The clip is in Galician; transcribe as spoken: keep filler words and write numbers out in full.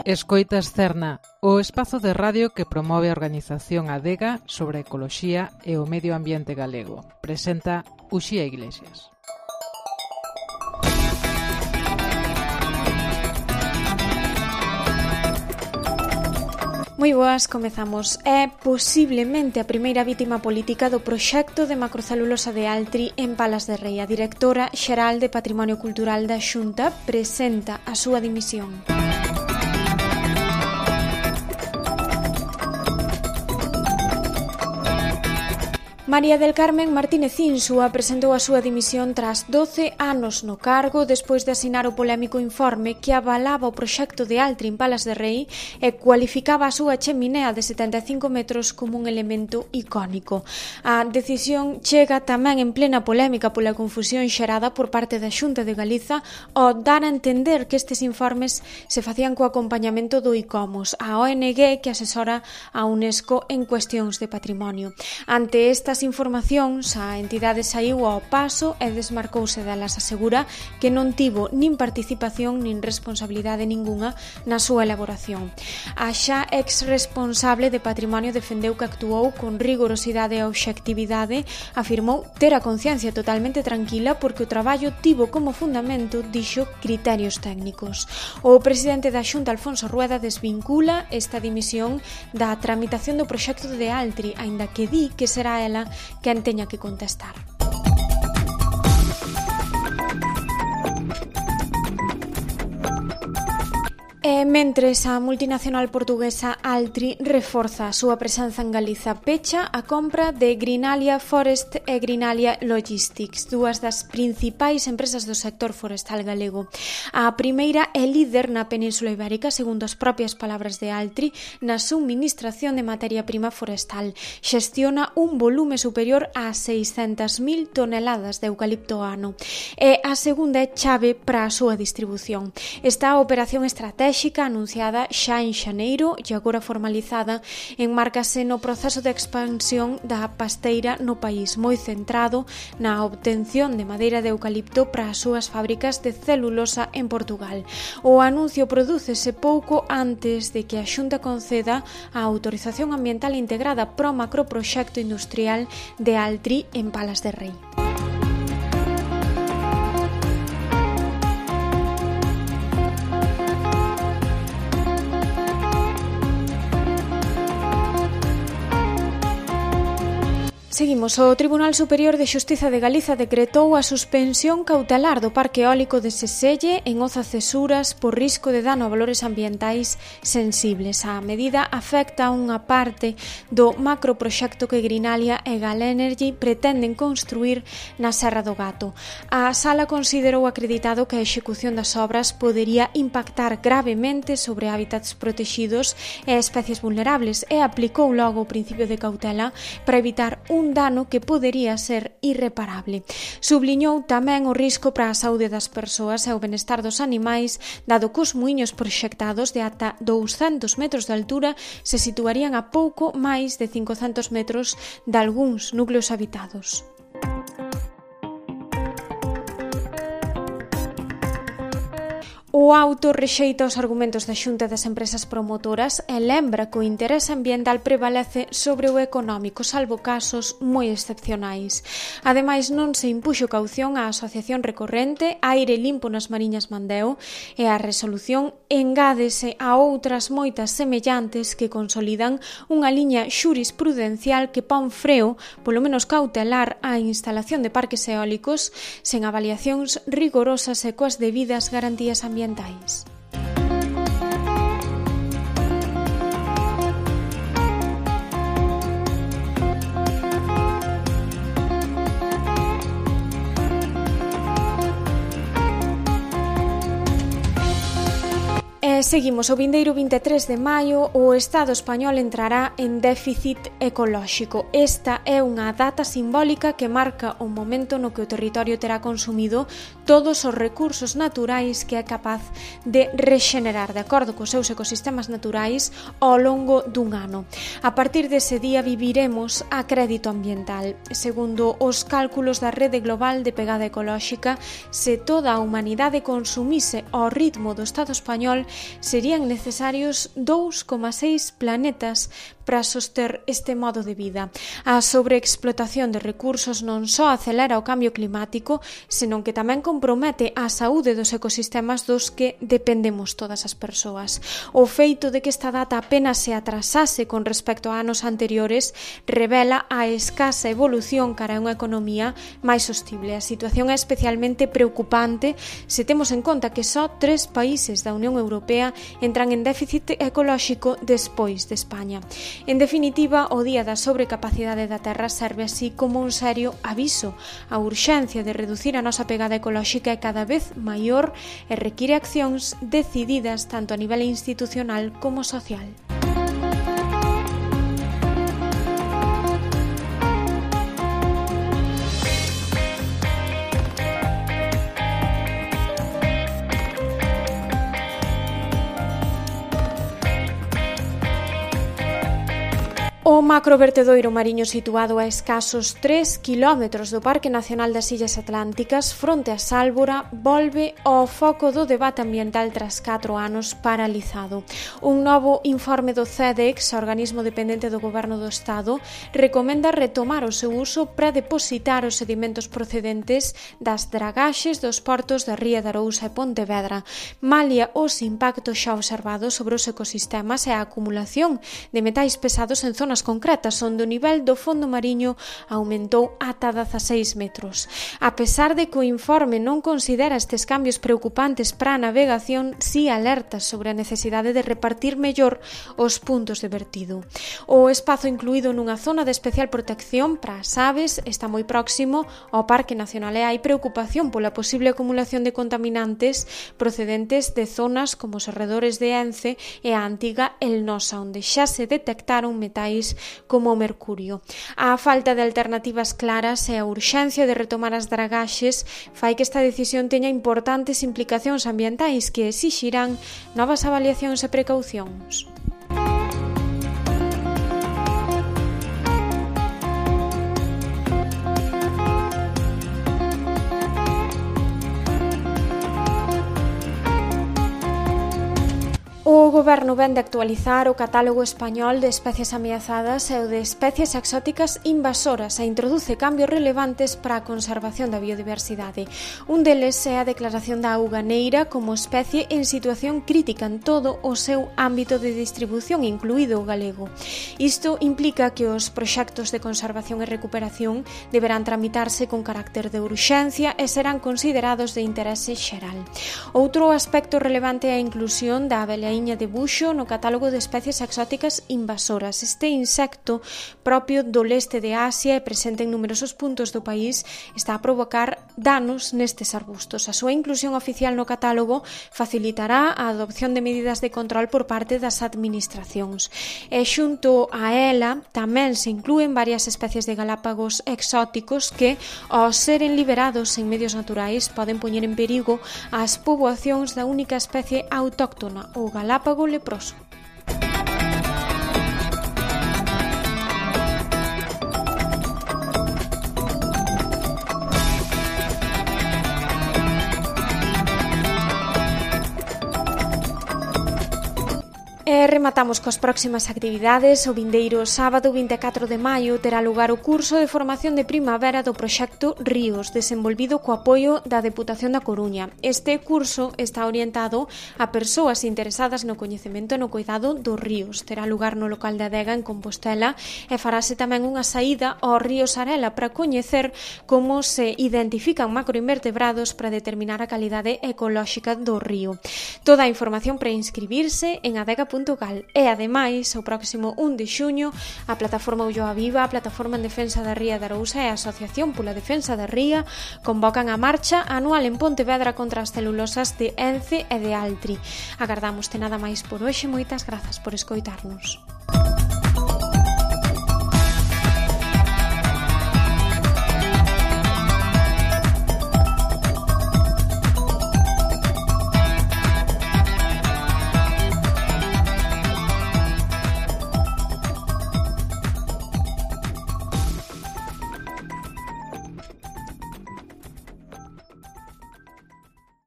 Escoitas Cerna, o espazo de radio que promove a organización Adega sobre a ecoloxía e o medio ambiente galego. Presenta Uxía Iglesias. Moi boas, comezamos. É posiblemente a primeira vítima política do proxecto de macrocelulosa de Altri en Palas de Rei. A directora xeral de Patrimonio Cultural da Xunta presenta a súa dimisión. María del Carmen Martínez Insua presentou a súa dimisión tras doce anos no cargo despois de asinar o polémico informe que avalaba o proxecto de Altri en Palas de Rei e cualificaba a súa cheminea de setenta e cinco metros como un elemento icónico. A decisión chega tamén en plena polémica pola confusión xerada por parte da Xunta de Galiza ao dar a entender que estes informes se facían co acompañamento do ICOMOS, a O N G que asesora a UNESCO en cuestións de patrimonio. Ante estas informacións, a entidade saiu ao paso e desmarcouse delas. Asegura que non tivo nin participación nin responsabilidade ningunha na súa elaboración. A xa ex-responsable de Patrimonio defendeu que actuou con rigorosidade e obxectividade, afirmou ter a conciencia totalmente tranquila porque o traballo tivo como fundamento, dixo, criterios técnicos. O presidente da Xunta, Alfonso Rueda, desvincula esta dimisión da tramitación do proxecto de Altri, aínda que di que será ela quen teña que contestar. E mentres a multinacional portuguesa Altri reforza a súa presenza en Galiza, pecha a compra de Greenalia Forest e Greenalia Logistics, dúas das principais empresas do sector forestal galego. A primeira é líder na Península Ibérica, segundo as propias palabras de Altri, na subministración de materia prima forestal. Xestiona un volume superior a seiscentas mil toneladas de eucalipto ano. E a segunda é chave para a súa distribución. Esta operación estratégica anunciada xa en xaneiro e agora formalizada enmárcase no proceso de expansión da pasteira no país, moi centrado na obtención de madeira de eucalipto para as súas fábricas de celulosa en Portugal. O anuncio prodúcese pouco antes de que a Xunta conceda a autorización ambiental integrada pro macroproxecto industrial de Altri en Palas de Rei. Seguimos. O Tribunal Superior de Xustiza de Galiza decretou a suspensión cautelar do parque eólico de Seselle en Oza Cesuras por risco de dano a valores ambientais sensibles. A medida afecta a unha parte do macroproxecto que Greenalia e Galenergy pretenden construir na Serra do Gato. A Sala considerou acreditado que a execución das obras podería impactar gravemente sobre hábitats protexidos e especies vulnerables e aplicou logo o principio de cautela para evitar un un dano que podería ser irreparable. Subliñou tamén o risco para a saúde das persoas e o benestar dos animais, dado que os muiños proxectados de ata douscentos metros de altura se situarían a pouco máis de cincocentos metros de algúns núcleos habitados. O auto rexeita os argumentos da Xunta das Empresas Promotoras e lembra que o interese ambiental prevalece sobre o económico, salvo casos moi excepcionais. Ademais, non se impuxo caución á Asociación Recorrente Aire Limpo nas Mariñas Mandeo e a resolución engádese a outras moitas semellantes que consolidan unha liña xurisprudencial que pon freo, polo menos cautelar, á instalación de parques eólicos sen avaliacións rigorosas e coas debidas garantías ambientais. ambientais. E seguimos. O vindeiro vinte e tres de maio o Estado español entrará en déficit ecolóxico. Esta é unha data simbólica que marca o momento no que o territorio terá consumido todos os recursos naturais que é capaz de rexenerar de acordo cos seus ecosistemas naturais ao longo dun ano. A partir dese día viviremos a crédito ambiental. Segundo os cálculos da Rede Global de Pegada Ecolóxica, se toda a humanidade consumise ao ritmo do Estado español, serían necesarios dous coma seis planetas para soster este modo de vida. A sobreexplotación de recursos non só acelera o cambio climático, senón que tamén compromete a saúde dos ecosistemas dos que dependemos todas as persoas. O feito de que esta data apenas se atrasase con respecto a anos anteriores revela a escasa evolución cara a unha economía máis sostible. A situación é especialmente preocupante se temos en conta que só tres países da Unión Europea entran en déficit ecolóxico despois de España. En definitiva, o Día da Sobrecapacidade da Terra serve así como un serio aviso. A urxencia de reducir a nosa pegada ecolóxica é cada vez maior e require accións decididas tanto a nivel institucional como social. O macrovertedoiro mariño situado a escasos tres quilómetros do Parque Nacional das Illas Atlánticas, fronte a Sálvora, volve ao foco do debate ambiental tras catro anos paralizado. Un novo informe do C E D E X, organismo dependente do Goberno do Estado, recomenda retomar o seu uso para depositar os sedimentos procedentes das dragaxes dos portos da Ría de Arousa e Pontevedra, malia os impactos xa observados sobre os ecosistemas e a acumulación de metais pesados en zonas concretas onde o nivel do fondo mariño aumentou ata dezaseis metros. A pesar de que o informe non considera estes cambios preocupantes para a navegación, si alerta sobre a necesidade de repartir mellor os puntos de vertido. O espazo incluído nunha zona de especial protección para as aves está moi próximo ao Parque Nacional e hai preocupación pola posible acumulación de contaminantes procedentes de zonas como os arredores de Ence e a antiga El Nosa, onde xa se detectaron metais como o mercurio. A falta de alternativas claras e a urxencia de retomar as dragaxes fai que esta decisión teña importantes implicacións ambientais que exixirán novas avaliacións e precaucións. O Goberno vén de actualizar o catálogo español de especies ameazadas e o de especies exóticas invasoras e introduce cambios relevantes para a conservación da biodiversidade. Un deles é a declaración da auganeira como especie en situación crítica en todo o seu ámbito de distribución, incluído o galego. Isto implica que os proxectos de conservación e recuperación deberán tramitarse con carácter de urxencia e serán considerados de interese xeral. Outro aspecto relevante é a inclusión da abeliaíña de buxo no catálogo de especies exóticas invasoras. Este insecto, propio do leste de Asia e presente en numerosos puntos do país, está a provocar danos nestes arbustos. A súa inclusión oficial no catálogo facilitará a adopción de medidas de control por parte das administracións. E xunto a ela tamén se inclúen varias especies de galápagos exóticos que, ao seren liberados en medios naturais, poden poñer en perigo as poboacións da única especie autóctona, o galápago leproso. E rematamos coas próximas actividades. O vindeiro sábado vinte e catro de maio terá lugar o curso de formación de primavera do proxecto Ríos, desenvolvido co apoio da Deputación da Coruña. Este curso está orientado a persoas interesadas no coñecemento e no cuidado dos ríos. Terá lugar no local da Adega en Compostela e farase tamén unha saída ao río Sarela para coñecer como se identifican macroinvertebrados para determinar a calidade ecolóxica do río. Toda a información para inscribirse en adega punto gal e, ademais, o próximo un de xuño, a plataforma Ulloa Viva, a plataforma en defensa da Ría de Arousa e a Asociación pola Defensa da Ría convocan a marcha anual en Pontevedra contra as celulosas de Ence e de Altri. Agardamos te nada máis por hoxe. Moitas grazas por escoitarnos.